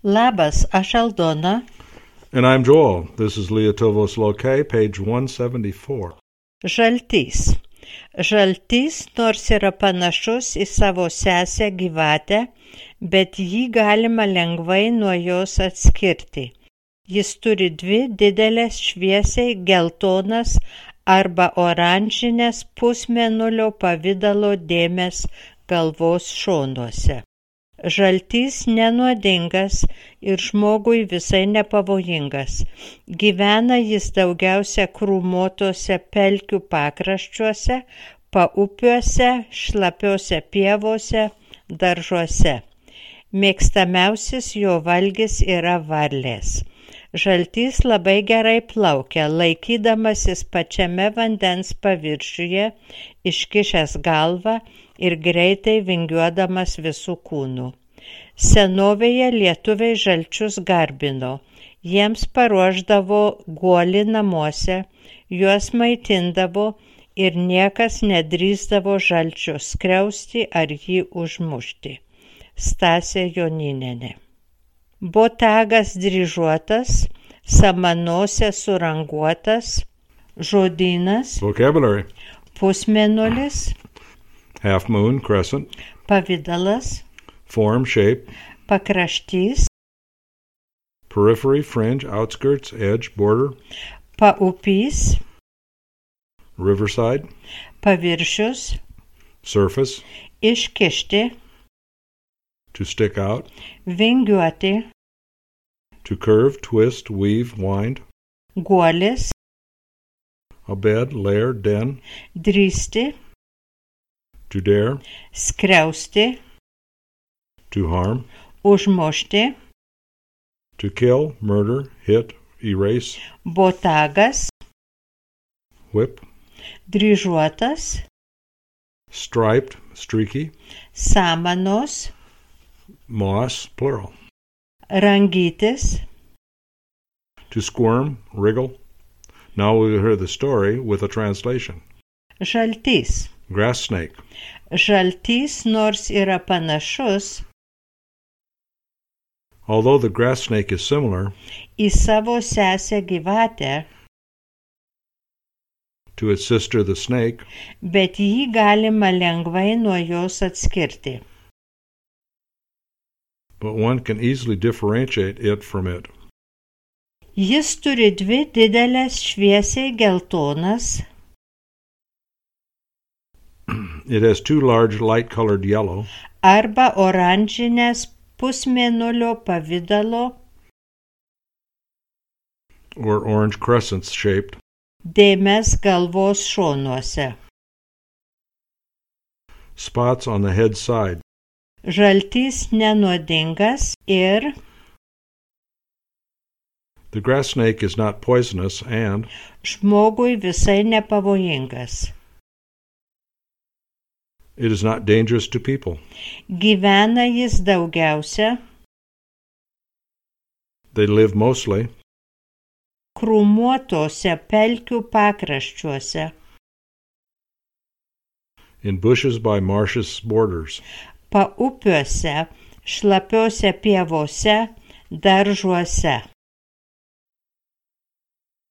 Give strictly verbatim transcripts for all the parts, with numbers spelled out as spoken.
Labas, aš Aldona. And I'm Joel. This is Lietuvos Lokai, page one seventy-four. Žaltys. Žaltys nors yra panašus į savo sesę gyvatę, bet jį galima lengvai nuo jos atskirti. Jis turi dvi didelės šviesiai geltonas arba oranžinės pusmėnulio pavidalo dėmės galvos šonuose. Žaltys nenuodingas ir žmogui visai nepavojingas. Gyvena jis daugiausia krūmotose pelkių pakraščiuose, paupiuose, šlapiose pievose, daržuose. Mėgstamiausias jo valgis yra varlės. Žaltys labai gerai plaukia, laikydamasis pačiame vandens paviršiuje, iškišęs galvą ir greitai vingiuodamas visų kūnų. Senovėje lietuviai žalčius garbino, jiems paruošdavo guolį namuose, juos maitindavo ir niekas nedrįsdavo žalčio skriausti ar jį užmušti. Stasė Joninienė. Botagas dryžuotas, samanosė suranguotas, žodynas, Vocabulary. pusmėnulis, Half moon, crescent. pavidalas, Form, shape. pakraštys, Periphery, fringe, outskirts, edge, border. paupys, Riverside. paviršius, Surface. iškišti, To stick out. vingiuoti, To curve, twist, weave, wind. guolis, A bed, lair, den. drįsti, To dare. skriausti, To harm. užmušti, To kill, murder, hit, erase. botagas, Whip. dryžuotas, Striped, streaky. samanos, Moss, plural. rangytis, To squirm, wriggle. Now we'll hear the story with a translation. žaltys. Grass snake. Žaltys nors yra panašus Although the grass snake is similar į savo sesę gyvatę, to its sister the snake, bet jį galima lengvai nuo jos atskirti. but one can easily differentiate it from it. Jis turi dvi didelės šviesiai geltonas It has two large light-colored yellow arba oranžinės pusmėnulio pavidalo or orange crescents shaped dėmes galvos šonuose. spots on the head side. Žaltys nenuodingas ir The grass snake is not poisonous and žmogui visai nepavojingas. it is not dangerous to people. Gyvena jis daugiausia They live mostly krūmuotose pelkių pakraščiuose, in bushes by marshes borders, paupiuose, šlapiose pievose, daržuose.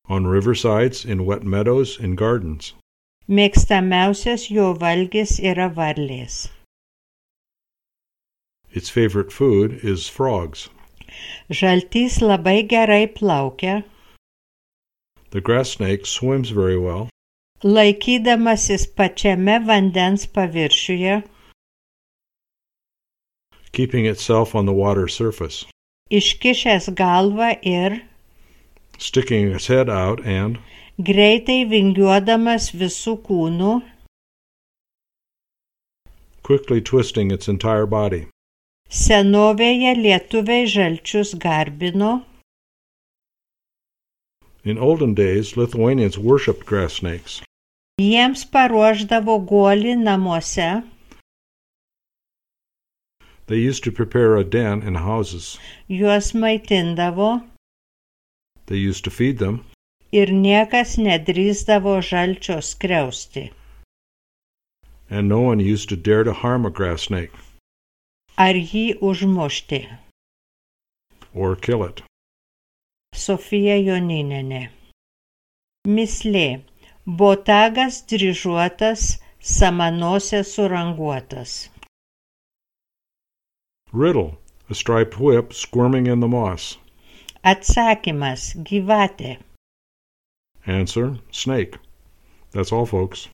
on riversides, in wet meadows, in gardens. Mėgstamiausias jo valgis yra varlės. Its favorite food is frogs. Žaltys labai gerai plaukia, The grass snake swims very well, laikydamasis pačiame vandens paviršiuje, keeping itself on the water surface, iškišęs galvą ir sticking its head out and greitai vingiuodamas visų kūnų, quickly twisting its entire body. senovėje lietuviai žalčius garbino, In olden days, Lithuanians worshipped grass snakes. jiems paruošdavo guolį namuose, They used to prepare a den in houses. juos maitindavo They used to feed them, ir niekas nedrįsdavo žalčio skriausti. and no one used to dare to harm a grass snake. ar jį užmušti. or kill it. Sofija Joninienė. Mislė. Botagas dryžuotas, samanose suranguotas. Riddle. A striped whip squirming in the moss. Atsakymas. Gyvatė. Answer. Snake. That's all, folks.